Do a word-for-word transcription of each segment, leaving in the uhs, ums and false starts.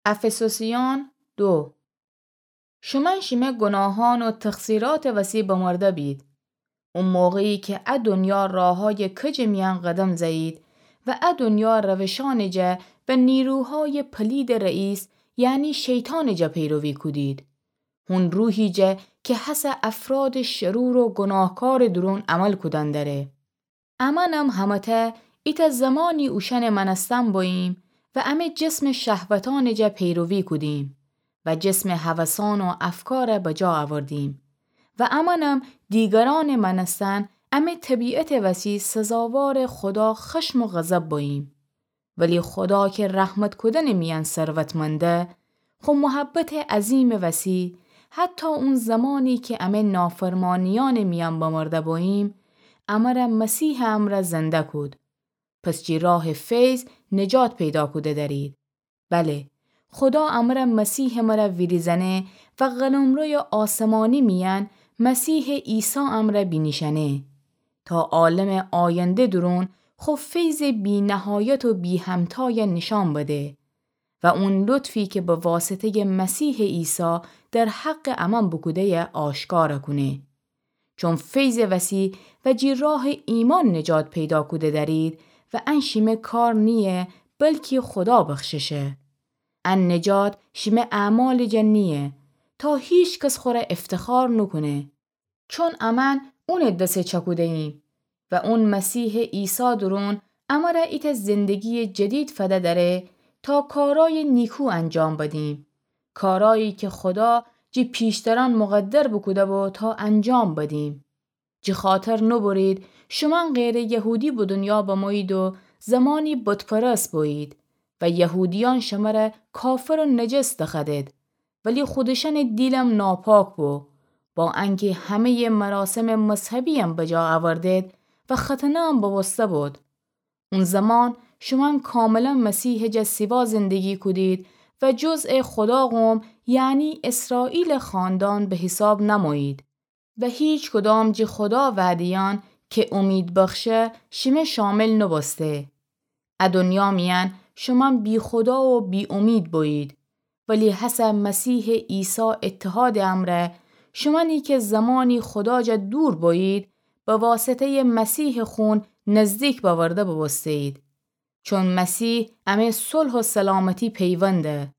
افسوسیان دو. شومأن شیمه گوناهان و تقصیرات وسی بمرده بید. او موقعی کی ا دنیا راهای کجٚ میأن قدم زه‌یید و ا دنیا روشأنٚ جا و نیروهای پلیدٚ رئیس، یعنی شیطانٚ جا پیروی کودید. هون روحی جا کی هسه افرادٚ شرور و گوناهکارٚ دورون عمل کودن دأره. امأنم همه‌تأ ایتأ زمانی اوشأنٚ مأنستن بوییم و امه جسمٚ شهوتأنٚ جا پیروی کودیم و جسمٚ هوسأن و افکار بجا اوردیم و امأنم دیگرأنٚ مأنستن امه طبیعتٚ وسی سزاوارٚ خودا خشم و غضب بوییم. ولی خودا کی رحمت کودنٚ میأن ثروتمنده، خو محبتٚ عظیمٚ وسی، حتی اون زمانی کی امه نافرمانیأنٚ میأن بمرده بوییم، امر مسیحٚ امرأ زنده کود. پس جی راه فیض نجات پیدا کوده دأرید. بله، خودا امر مسیحٚ مر ویریزأنه و قلمرو آسمانی میأن مسیحٚ عیسی امر بینیشأنه، تا عالمٚ آینده دورون خو فیضٚ بی‌نهایت و بی‌همتای نیشأن بده و اون لطفی کی به واسطه‌یٚ مسیحٚ عیسی در حقٚ امأن بوکوده‌یه آشکار کونه. چون فیضٚ وسی و جی راه ایمأن نجات پیدا کوده دأرید و ان شیمه کار نییه، بلکی خودا بخششه. ان نجات شیمه اعمالٚ جا نییه، تا هیکس خوره افتخار نوکونه. چون امأن اونٚ دس چکوده‌ییم و اون مسیحٚ عیسی دورون امر ایتأ زندگییٚ جدید فده دأره تا کارأیٚ نیکو انجام بدیم، کارأیی کی خودا جی پیشترأن مقدر بوکوده‌بو تا انجام بدیم. جی خاطر نوبرید شومأن غیرٚ یهودی به دنیا بمویید و زمانی بت‌پرست بویید و یهودیأن شمر کافر و نجس دخوأدید، ولی خودشأنٚ دیلم ناپاک بو، با انکی همه‌یٚ مراسمٚ مذهبییم بجا اوردید و ختنه‌یم بوسته بود. اون زمان شومأن کاملا مسیحٚ جا سیوا زندگی کودید و جزء خودا قوم، یعنی اسرائیلٚ خاندان به حیساب نمویید و هیکدام جی خودا وعده‌یأن کی امید بخشه شیمه شامل نوبوسته. ا دنیا میأن شومأن بی‌خودا و بی‌امید بویید، ولی هسه مسیحٚ عیسی اتحادٚ امرأ شومأنی کی زمانی خودا جا دور بویید، به واسطه‌یٚ مسیحٚ خون نزدیک بأورده بوبوسته‌یید. چون مسیح امه صلح و سلامتی پیونده.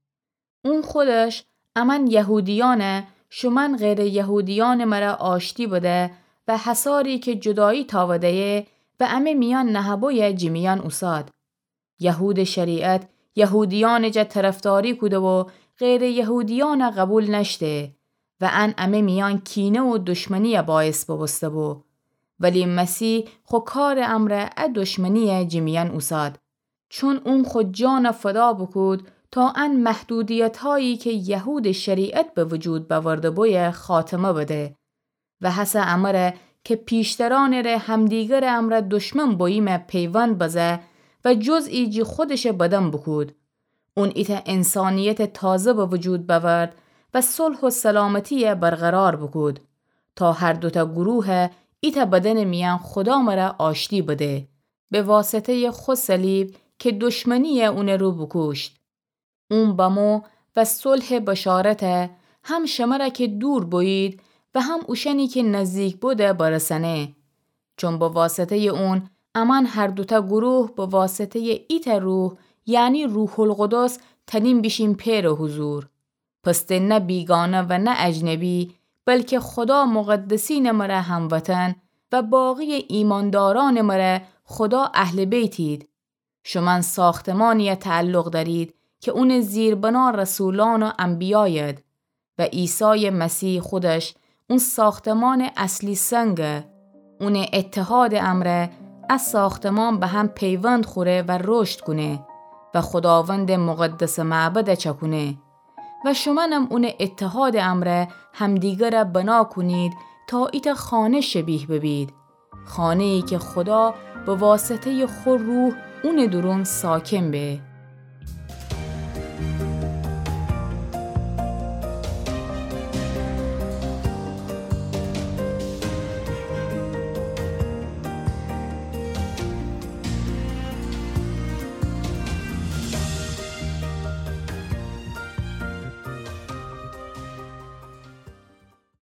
اون خودش امأن یهودیأن، شومأن غیرٚ یهودیأنٚ مر آشتی بده و حصاری کی جدایی تاوده‌یه و امه میأن نهه‌بویه جی میأن اوساد. یهودٚ شریعت یهودیأنٚ جا طرفداری کوده و غیرٚ یهودیأن قوبیل نأشته و ان امه میأن کینه و دشمنی باعث بوبوسته‌بو. ولی مسیح خو کارٚ امرأ ا دشمنی جی میأن اوساد. چون اون خو جان فدا بوکود تا ان محدودیتایی کی یهودٚ شریعت به وجود بأورده‌بویه خاتمه بده و هسه امر کی پیشترأنٚ ره همدیگرٚ امرأ دشمن بوییمه پیوند بزه و جزئی جی خودشٚ بدن بوکود. اون ایتأ انسانیتٚ تازه به وجود بأورد و صلح و سلامتی برقرار بوکود تا هر دوتأ گروه ایتأ بدنٚ میأن خودا مر آشتی بده. به واسطه‌یٚ خو صلیب کی دشمنی اونٚ رو بوکوشت. اون بمو و صلحٚ بشارت هم شمر کی دور بویید و هم اوشأنی کی نزدیک بوده برسأنه. چون به واسطه‌یٚ اون امأن هر دوتأ گروه به واسطه‌یٚ ایتأ روح، یعنی روح‌القدس، تأنیم بیشیم پئرٚ حضور. پس ته نه بیگانه و نه اجنبی، بلکی خودا مقدسینٚ مر هموطن و باقی‌یٚ ایماندارأنٚ مر خودا اهل بیتید. شومأن ساختمانی تعلق دأرید کی اونٚ زیربنا رسولأن و انبیاید و عیسایٚ مسیح خودش اون ساختمانٚ اصلی سنگه. اونٚ اتحادٚ امرأ ا ساختمان به هم پیوند خوره و رشد کونه و خوداوندٚ مقدسٚ معبد چأکونه. و شومأنم اونٚ اتحادٚ امرأ همدیگر بنا کونید تا ایتأ خانه شبیه ببید، خانه‌یی کی خودا به واسطه‌یٚ خو روح اونٚ دورون ساکن به.